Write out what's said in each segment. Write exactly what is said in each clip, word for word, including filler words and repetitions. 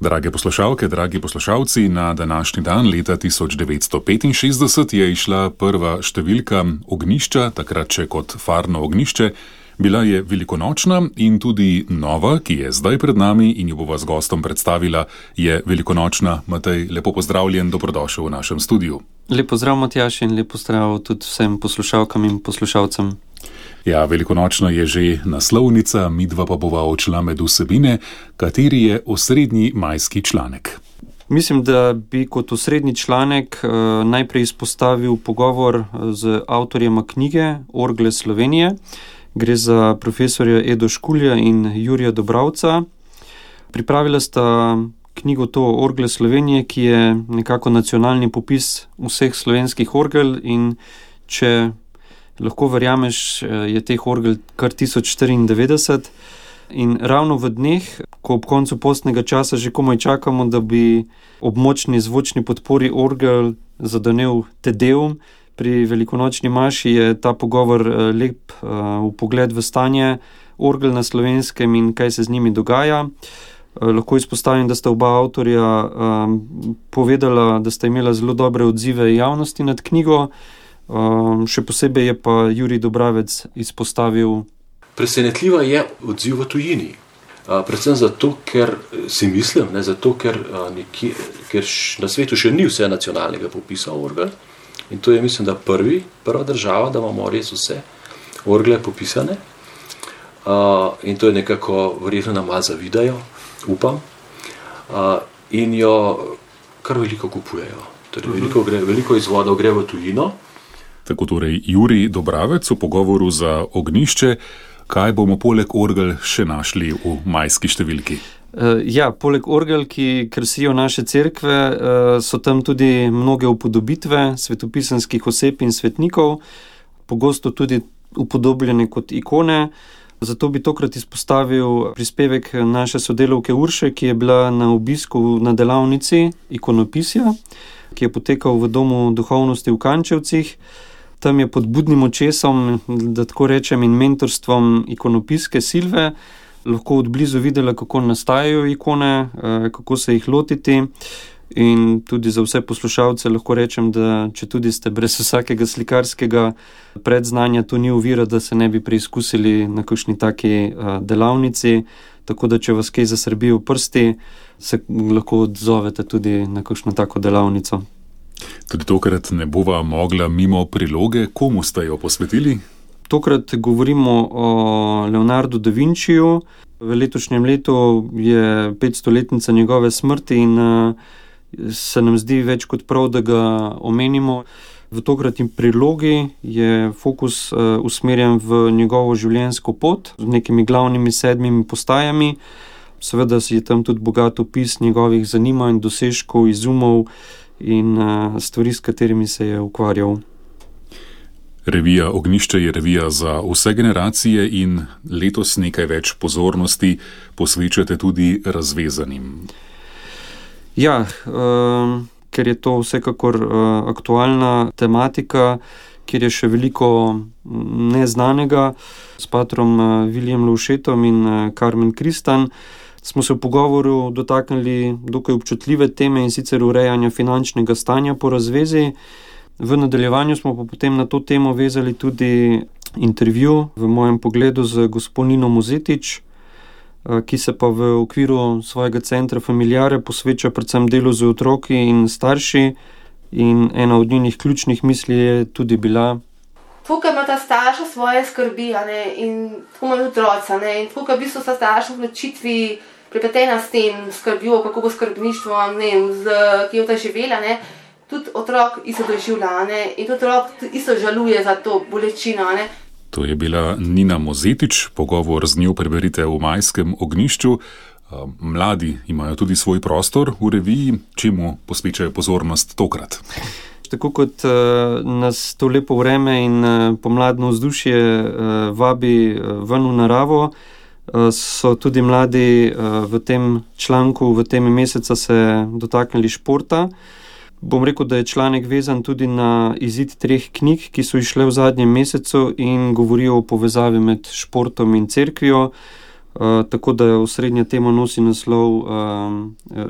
Drage poslušalke, dragi poslušalci, na današnji dan leta tisoč devetsto petinšestdeset je išla prva številka Ognjišča, takrat še kot farno ognjišče. Bila je velikonočna in tudi nova, ki je zdaj pred nami in jo bova z gostom predstavila, je velikonočna. Matej, lepo pozdravljen, dobrodošel v našem studiu. Lep pozdrav, Matjaž, in lep pozdrav tudi vsem poslušalkam in poslušalcem. Ja, velikonočna je že naslovnica, midva pa bova odšla med vsebine, kateri je osrednji majski članek. Mislim, da bi kot osrednji članek eh, najprej izpostavil pogovor z avtorjema knjige Orgle Slovenije. Gre za profesorja Edo Škulja in Jurija Dobravca. Pripravila sta knjigo to Orgle Slovenije, ki je nekako nacionalni popis vseh slovenskih orgel, in če lahko verjameš, je teh orgel kar tisoč štiriindevetdeset. In ravno v dneh, ko ob koncu postnega časa že komaj čakamo, da bi ob močni zvočni podpori orgel zadonel Tedeum, pri velikonočni maši je ta pogovor lep uh, vpogled v stanje orgel na Slovenskem in kaj se z njimi dogaja. Uh, lahko izpostavim, da sta oba avtorja um, povedala, da sta imela zelo dobre odzive javnosti nad knjigo. Um, še posebej je pa Jurij Dobravec izpostavil. Presenetljiva je odziv v tujini. Uh, predvsem zato, ker si mislim, ne, zato, ker, uh, nekje, ker š, na svetu še ni vse nacionalnega popisa orgel. In to je, mislim, da prvi, prva država, da imamo res vse orgle popisane. Uh, in to je nekako, verjetno nam malo zavidajo, upam. Uh, in jo kar veliko kupujejo. Torej, veliko, gre, veliko izvodov gre v tujino. Tako torej Jurij Dobravec v pogovoru za Ognjišče. Kaj bomo poleg orgel še našli v majski številki? Ja, poleg orgel, ki krasijo naše cerkve, so tam tudi mnoge upodobitve svetopisanskih oseb in svetnikov, pogosto tudi upodobljene kot ikone. Zato bi tokrat izpostavil prispevek naše sodelavke Urše, ki je bila na obisku na delavnici ikonopisja, ki je potekal v Domu duhovnosti v Kančevcih. Tam je pod budnim očesom, da tako rečem, in mentorstvom ikonopiske Silve lahko od blizu videla, kako nastajajo ikone, kako se jih lotiti, in tudi za vse poslušalce lahko rečem, da če tudi ste brez vsakega slikarskega predznanja, to ni ovira, da se ne bi preizkusili na kakšni taki delavnici, tako da če vas kaj zasrbi v prsti, se lahko odzovete tudi na kakšno tako delavnico. Tudi tokrat ne bova mogla mimo priloge. Komu ste jo posvetili? Tokrat govorimo o Leonardu da Vinciju. V letošnjem letu je petstoletnica njegove smrti in se nam zdi več kot prav, da ga omenimo. V tokratni prilogi je fokus usmerjen v njegovo življenjsko pot z nekimi glavnimi sedmimi postajami. Seveda je tam tudi bogat opis njegovih zanimanj, dosežkov, izumov in stvari, s katerimi se je ukvarjal. Revija Ognjišče je revija za vse generacije in letos nekaj več pozornosti posvečate tudi razvezanim. Ja, uh, ker je to vsekakor uh, aktualna tematika, kjer je še veliko neznanega. S patrom uh, Viljem Lovšetom in uh, Carmen Kristan smo se v pogovoru dotaknili dokaj občutljive teme, in sicer urejanja finančnega stanja po razvezi. V nadaljevanju smo pa potem na to temo vezali tudi intervju v mojem pogledu z gospo Nino Mozetič, ki se pa v okviru svojega centra Familiare posveča predvsem delu z otroki in starši, in ena od njenih ključnih misli je tudi bila: tukaj ima ta starša svoje skrbi, a ne, in tako ima otroca, ne, in tukaj v bistvu sta starša v odločitvi pripletena s tem skrbjo, kako bo skrbništvo, ne vem, z kje bo ta živela, ne. Tudi otrok isto doživlja, ne, in tudi otrok isto žaluje za to bolečino, ne. To je bila Nina Mozetič, pogovor z njo preberite v Majskem ognjišču. Mladi imajo tudi svoj prostor v reviji, čemu posvečajo pozornost tokrat? Tako kot uh, nas to lepo vreme in uh, pomladno vzdušje uh, vabi uh, ven v naravo, uh, so tudi mladi uh, v tem članku, v tem meseca se dotaknili športa. Bom rekel, da je članek vezan tudi na izid treh knjig, ki so išle v zadnjem mesecu in govorijo o povezavi med športom in cerkvijo. tako da osrednja tema nosi naslov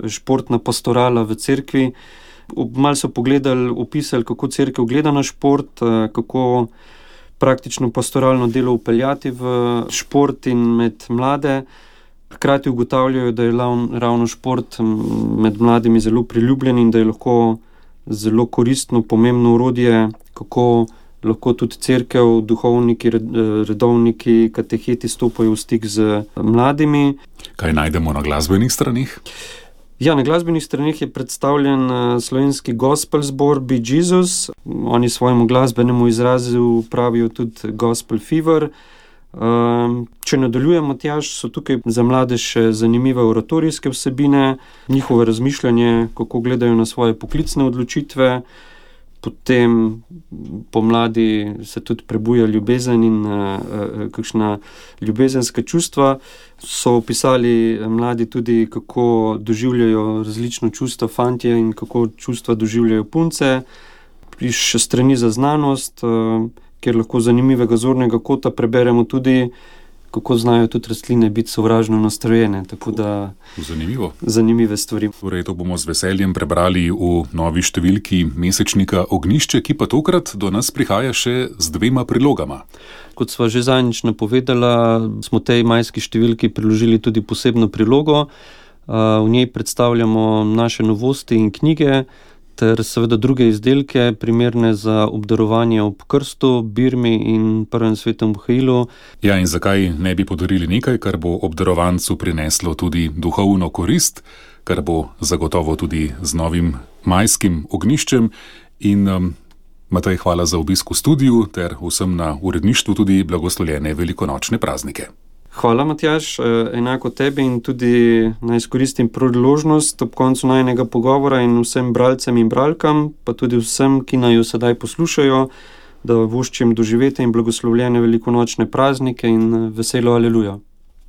Športna pastorala v cerkvi. Malo so pogledali, opisali, kako cerkev gleda na šport, kako praktično pastoralno delo upeljati v šport in med mlade. Hkrati ugotavljajo, da je ravno šport med mladimi zelo priljubljen in da je lahko zelo koristno, pomembno orodje, kako lahko tudi cerkev, duhovniki, redovniki, kateheti stopajo v stik z mladimi. Kaj najdemo na glasbenih stranih? Ja, na glasbenih stranih je predstavljen slovenski gospel zbor Be Jesus. Oni svojemu glasbenemu izrazu pravijo tudi gospel fever. Če nadaljujemo, Matjaž, so tukaj za mlade še zanimive oratorijske vsebine, njihovo razmišljanje, kako gledajo na svoje poklicne odločitve. Potem pomladi se tudi prebuja ljubezen in uh, kakšna ljubezenska čustva. So opisali mladi tudi, kako doživljajo različno čustva fantje in kako čustva doživljajo punce. Še strani za znanost, uh, kjer lahko zanimivega zornega kota preberemo tudi, kako znajo tudi rastline biti sovražno nastrojene. Tako da Zanimivo. Zanimive stvari. Torej, to bomo z veseljem prebrali v novi številki mesečnika Ognjišče, ki pa tokrat do nas prihaja še z dvema prilogama. Kot sva že zadnjič napovedala, smo tej majski številki priložili tudi posebno prilogo. V njej predstavljamo naše novosti in knjige, ter seveda druge izdelke, primerne za obdarovanje ob krstu, birmi in prvem svetem Mihailu. Ja, in zakaj ne bi podarili nekaj, kar bo obdarovancu prineslo tudi duhovno korist, kar bo zagotovo tudi z novim majskim ognjiščem. In um, Matej, hvala za obisk v studiu, ter vsem na uredništvu tudi blagoslovljene velikonočne praznike. Hvala, Matjaž, enako tebi in tudi naj izkoristim priložnost ob koncu najinega pogovora in vsem bralcem in bralkam, pa tudi vsem, ki naj jo sedaj poslušajo, da voščim doživete in blagoslovljene velikonočne praznike in veselo aleluja.